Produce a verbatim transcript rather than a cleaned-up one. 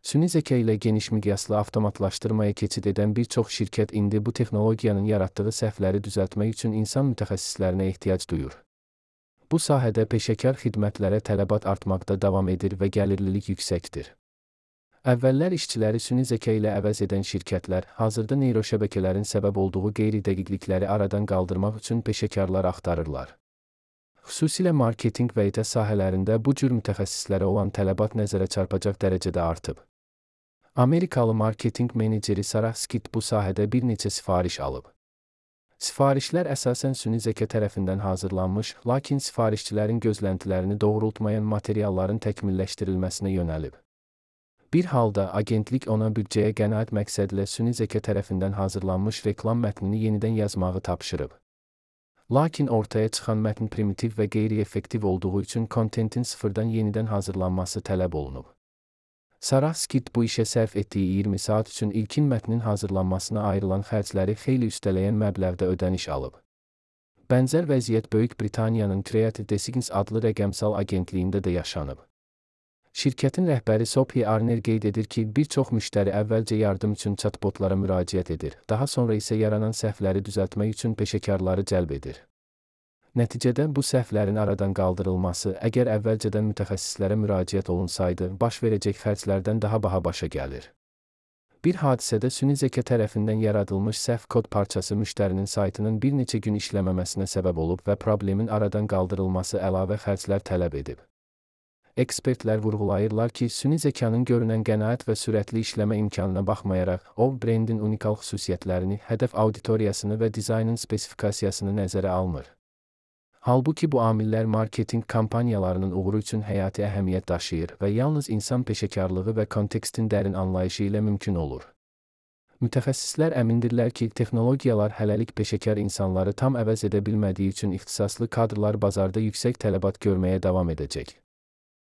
Süni zeka ilə geniş miqyaslı avtomatlaşdırmaya keçid edən bir çox şirkət indi bu texnologiyanın yaratdığı səhvləri düzəltmək üçün insan mütəxəssislərinə ehtiyac duyur. Bu sahədə peşəkar xidmətlərə tələbat artmaqda davam edir və gəlirlilik yüksəkdir. Əvvəllər işçiləri süni zeka ilə əvəz edən şirkətlər, hazırda neyroşəbəkələrin səbəb olduğu qeyri-dəqiqlikləri aradan qaldırmaq üçün peşəkarlar axtarırlar. Xüsusilə marketinq və itə sahələrində bu cür mütəxəssislərə olan tələbat nəzərə çarpacaq dərəcədə artıb. Amerikalı marketinq meneceri Sarah Skid bu sahədə bir neçə sifariş alıb. Sifarişlər əsasən süni zeka tərəfindən hazırlanmış, lakin sifarişçilərin gözləntilərini doğrultmayan materialların təkmilləşdirilməsinə yönəlib. Bir halda agentlik ona büdcəyə qənaət məqsədilə süni zeka tərəfindən hazırlanmış reklam mətnini yenidən yazmağı tapşırıb. Lakin ortaya çıxan mətn primitiv və qeyri-effektiv olduğu üçün kontentin sıfırdan yenidən hazırlanması tələb olunub. Sarah Skid bu işə sərf etdiyi iyirmi saat üçün ilkin mətnin hazırlanmasına ayrılan xərcləri xeyli üstələyən məbləğdə ödəniş alıb. Bənzər vəziyyət Böyük Britaniyanın Creative Designs adlı rəqəmsal agentliyində də yaşanıb. Şirkətin rəhbəri Sophie Arner qeyd edir ki, bir çox müştəri əvvəlcə yardım üçün chatbotlara müraciət edir, daha sonra isə yaranan səhvləri düzəltmək üçün peşəkarları cəlb edir. Nəticədə bu səhvlərin aradan qaldırılması, əgər əvvəlcədən mütəxəssislərə müraciət olunsaydı, baş verəcək xərclərdən daha baha başa gəlir. Bir hadisədə süni zeka tərəfindən yaradılmış səhv kod parçası müştərinin saytının bir neçə gün işləməməsinə səbəb olub və problemin aradan qaldırılması əlavə xərclər tələb edib. Ekspertlər vurğulayırlar ki, süni zekanın görünən qənaət və sürətli işləmə imkanına baxmayaraq, o, brendin unikal xüsusiyyətlərini, hədəf auditoriyasını və dizaynın spesifikasiyasını nəzərə almır. Halbuki bu amillər marketinq kampaniyalarının uğuru üçün həyati əhəmiyyət daşıyır və yalnız insan peşəkarlığı və kontekstin dərin anlayışı ilə mümkün olur. Mütəxəssislər əmindirlər ki, texnologiyalar hələlik peşəkar insanları tam əvəz edə bilmədiyi üçün ixtisaslı kadrlar bazarda yüksək tələbat görməyə davam edəcək.